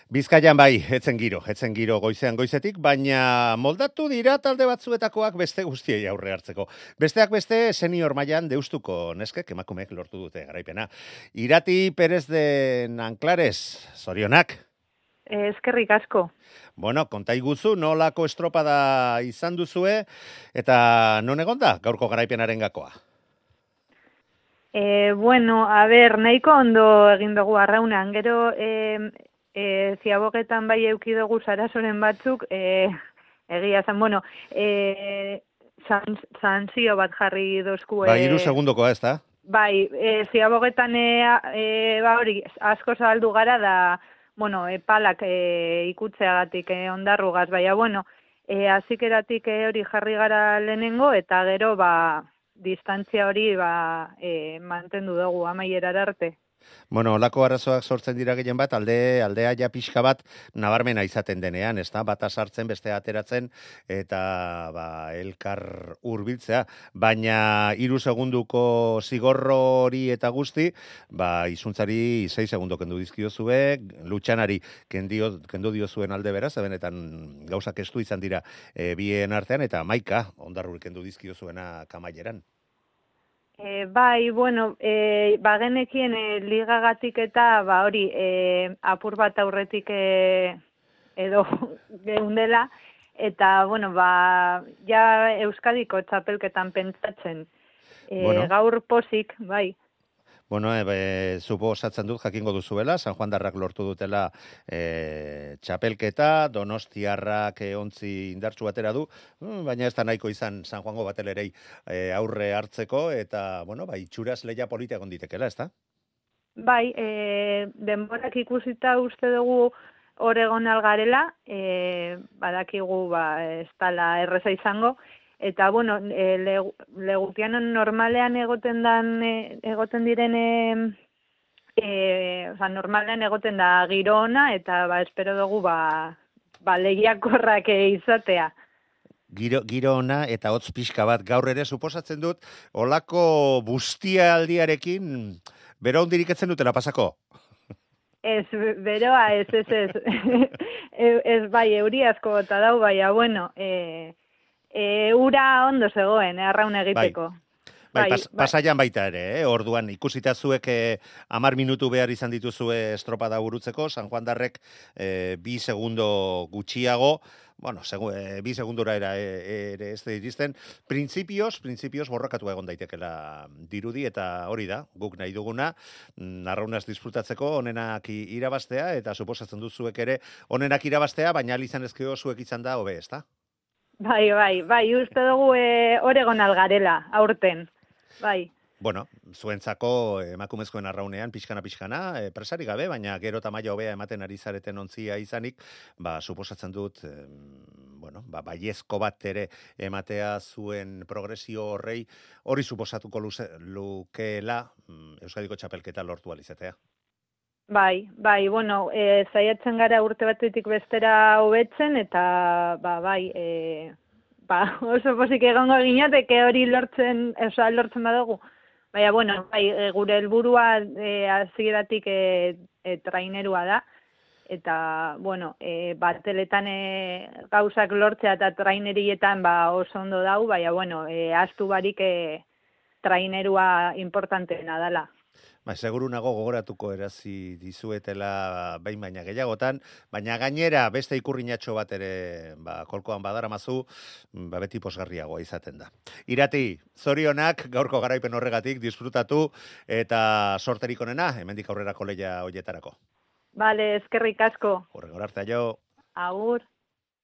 Bizkaian bai, etzen giro goizean goizetik, baina moldatu dira talde batzuetakoak beste guztiei aurre hartzeko. Besteak beste senior mailan deustuko neskek emakumeek lortu dute garaipena. Irati Perez de Nanclares, zorionak. Eskerrik asko. Bueno, konta iguzu, nolako estropada izan duzue, eta non egonda gaurko garaipenaren gakoa? Bueno, a ber, nahiko ondo egin dugu arraunean, gero ziabogetan bai euki dugu sarasoren batzuk, egia zen, bueno, sanzio bat jarri dozku. Ba, 3 segundokoa ez da? Bai, ziabogetan hori asko zabaldu gara da, bueno, palak ikutzeagatik ondarrugaz, baina, bueno, azikeratik hori jarri gara lehenengo, eta gero, distantzia hori mantendu dugu amaierara arte. Bueno, olako arazoak sortzen dira gehien bat, aldea ja pixka bat nabarmena izaten denean, ez da? Bata sartzen, bestea ateratzen, eta elkar hurbiltzea. Baina 3 segunduko zigorro hori eta guzti, izuntzari 6 segundo kendu dizkiozue, Lutxanari kendu diozuen alde beraz, benetan gauzak estu izan dira bien artean, eta Maika, Ondarruri kendu dizkiozuena Kamaileran. Bai, bueno, bagenekien ligagatik eta hori apur bat aurretik edo geundela, eta, bueno, ja Euskadiko txapelketan pentsatzen. Gaur posik, bai. Bueno, suposatzen dut jakingo duzuela, San Juan Darrak lortu dutela txapelketa, Donostiarrak ontzi indartsu batera du, baina ez da nahiko izan San Juango batelerei aurre hartzeko, eta, bueno, itxuraz lehia polita egon ditekela, ez da? Bai, denborak ikusita uste dugu Oregon algarela, badakigu ez dala erreza izango, eta, bueno, legutianon normalean egoten diren, normalean egoten da giro ona, eta espero dugu lehiakorrak izatea. Giro ona eta hotz pixka bat gaur ere suposatzen dut, olako bustialdiarekin bero hundirik etzen dutela pasako? Ez, beroa, ez. Ez bai, euri asko bota dau, baina, bueno, ura ondo zegoen, arraun egiteko. Pasaian baita ere, orduan ikusita zuek 10 minutu behar izan dituzue estropada burutzeko, San Juan Darrek 2 segundo gutxiago, bueno, 2 segundora ere ez da iristen, printzipioz borrokatu egon daitekela dirudi, eta hori da, guk nahi duguna, arraunaz disfrutatzeko onenak irabaztea, eta suposatzen duzuek ere onenak irabaztea, baina izan ezkeo zuek izan da hobe, ez da? Bai, uste dugu Oregon algarela, aurten, bai. Bueno, zuentzako emakumezkoen arraunean pixkana, presari gabe, baina gero tamaia hobea ematen ari zareten ontzia izanik, suposatzen dut, baiezko bat ere ematea zuen progresio hori suposatuko lukeela Euskadiko txapelketa lortu alizatea. Bai, bueno, zaiatzen gara urte batetik bestera hobetzen, eta oso pozik egongo ginateke hori lortzen badugu. Baina, bueno, gure helburua hasieratik trainerua da, eta, bueno, bateletan gauzak lortzea eta trainerietan oso ondo dau, baina, bueno, astu barik trainerua importanteena dela. Seguru nago gogoratuko erazi dizuetela behin baina gehiagotan, baina gainera beste ikurrinatxo bat ere kolkoan badaramazu, beti posgarriagoa izaten da. Irati, zorionak gaurko garaipen horregatik disfrutatu eta sorterik onena, hemendik aurrerako lehia hoietarako. Bale, eskerrik asko. Horregor arte, jo. Agur.